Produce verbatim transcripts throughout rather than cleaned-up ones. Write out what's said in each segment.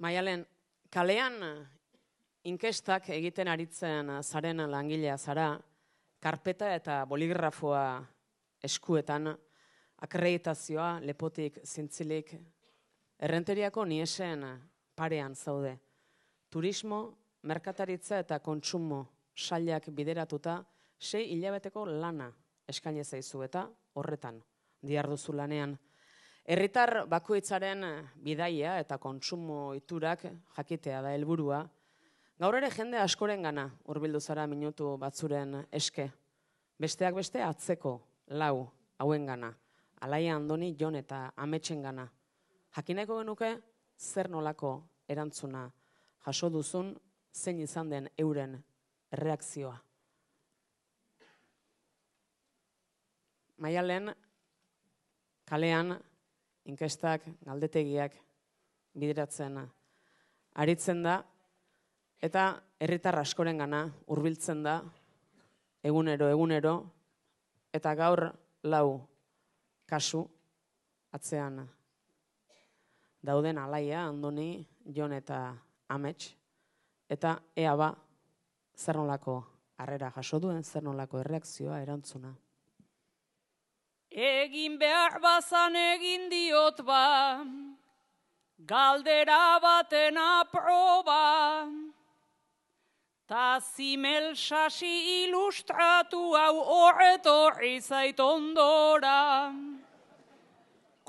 Maialen, kalean inkestak egiten aritzen zaren langilea zara, karpeta eta boligrafoa eskuetan, akreditazioa lepotik zintzilik, errenteriako niesen parean zaude. Turismo, merkataritza eta kontsumo sailak bideratuta sei hilabeteko lana eskaini zaizu eta horretan diharduzu lanean. Herritar bakoitzaren bidaia eta kontsumo iturak jakitea da helburua. Gaur ere jende askorengana hurbildu zara minutu batzuren eske. Besteak beste atzeko lau hauengana. Alaia Andoni, Jon eta Ametsengana. Jakineko genuke zer nolako erantzuna jaso duzun, zein izan den euren erreakzioa. Maialen, kalean, inkestak, galdetegiak bideratzen aritzen da, eta herritar askorengana hurbiltzen da, egunero, egunero, eta gaur lau kasu atzean dauden Alaia, Andoni, Jon eta Amets, eta ea ba, zer nolako harrera jaso duen, zer nolako erreakzioa, erantzuna. Egin behar bazan egin diot ba, galdera baten aproba, ta zimel sasi ilustratu hau horretorri zait ondora.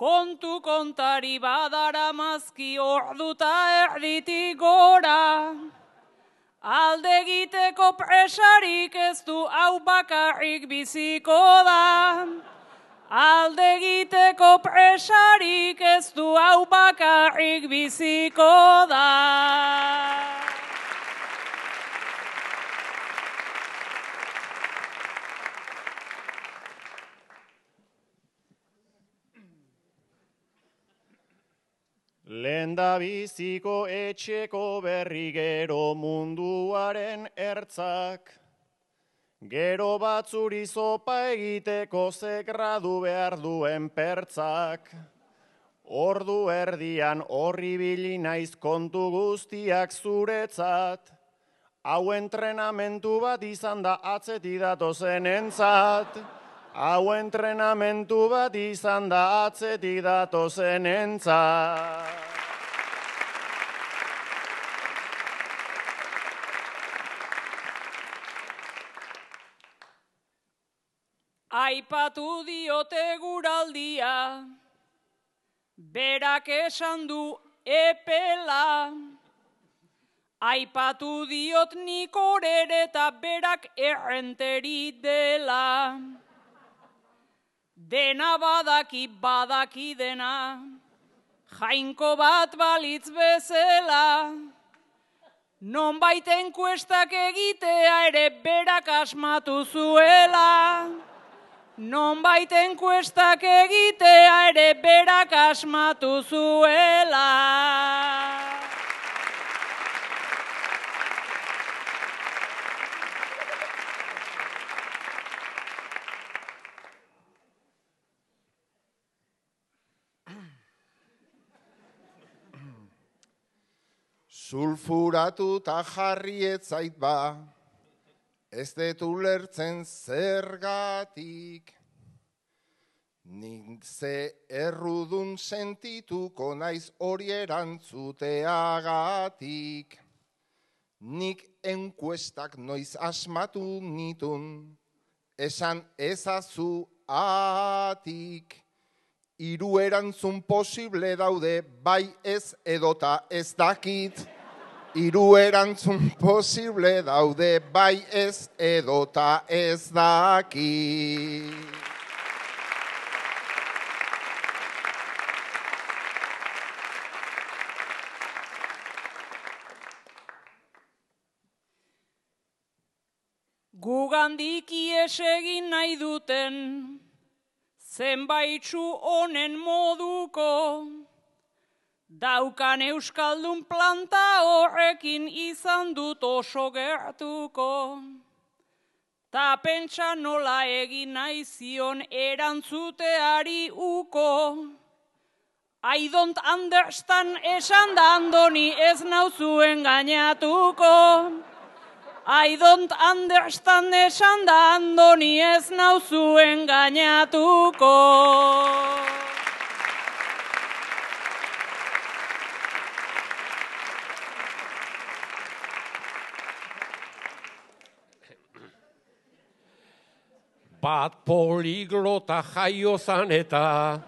Kontu kontari badara mazki orduta erditik gora, alde egiteko presarik ez du hau bakarrik biziko da. Alde egiteko presarik ez du hau bakarrik biziko da. Lenda biziko etxeko berri gero munduaren ertzak, gero batzuri zopa egiteko ze gradu behar duen pertzak. Ordu erdian horri bili naiz kontu guztiak zuretzat, hau entrenamentu bat izan da atzetik datozen entzat. Hau entrenamentu bat izan da atzetik datozen entzat. Aipatu diote guraldia, berak esan du epela. Aipatu diot nik orere eta berak errenteri dela. Dena badaki badaki dena, jainko bat balitz bezala. Nonbait enkuestak egitea ere berak asmatu zuela. Nonbait enkuestak egitea ere berak asmatu zuela. Sulfuratu ta jarri etzait ba, ez dut ulertzen zergatik. Nik ze errudun sentituko naiz hori erantzuteagatik. Nik enkuestak noiz asmatu nitun, esan ezazu atik. Hiru erantzun posible daude, bai ez edota ez dakit. Hiru erantzun posible daude, bai ez edota ez dakit. Gugandik ies egin nahi duten, zenbaitzu honen moduko, daukan euskaldun planta horrekin izan dut oso gertuko. Ta pentsa nola egin nahi zion erantzuteari uko, I don't understand esan da Andoni ez nauzuen gainatuko. I don't understand esan da Andoni ez nauzuen gainatuko. Bat poliglota jaio zan eta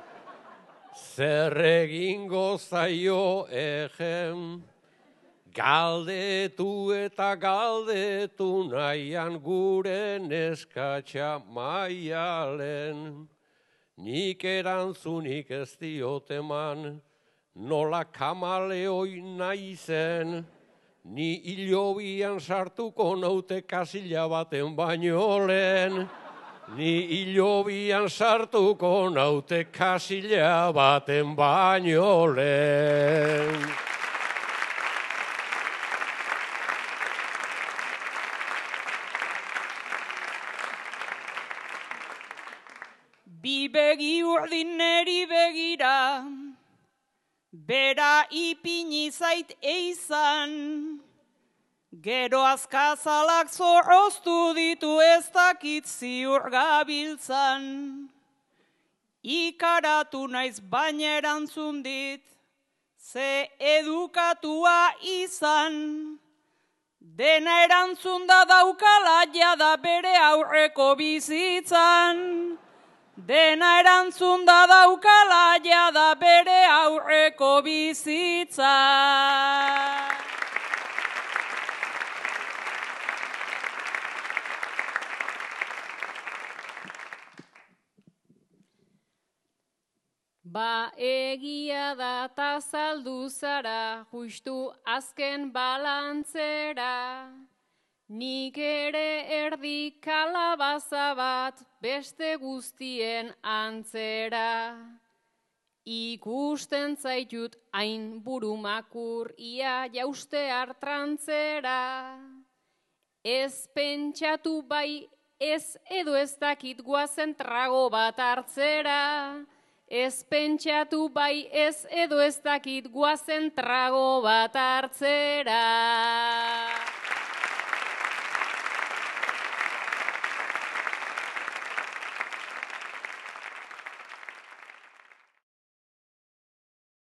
zer egingo zaio egen. Galdetu eta galdetu nahian gure neskatxa Maialen. Nik erantzunik ez dioteman, nola kamaleoi naizen. Ni hilobian sartuko naute kasila baten baino lehen. Ni hilobian sartuko naute kasila baten baino lehen. Bi begi urdin neri begira, bera ipini zait eizan. Gero azkazalak zorroztu ditu ez dakit ziur gabiltzan. Ikaratu naiz baina erantzun dit, ze edukatua izan. Dena erantzun da daukala jada bere aurreko bizitzan. Dena erantzun da daukala jada bere aurreko bizitzan. Ba egia da ta saldu zara, justu azken balantzera. Nik ere erdi kalabaza bat beste guztien antzera. Ikusten zaitut hain burumakur ia jauste hartrantzera. Ez pentsatu bai ez edo ez dakit guazen trago bat hartzera. Ez pentsatu bai ez edo ez dakit guazen trago bat hartzera.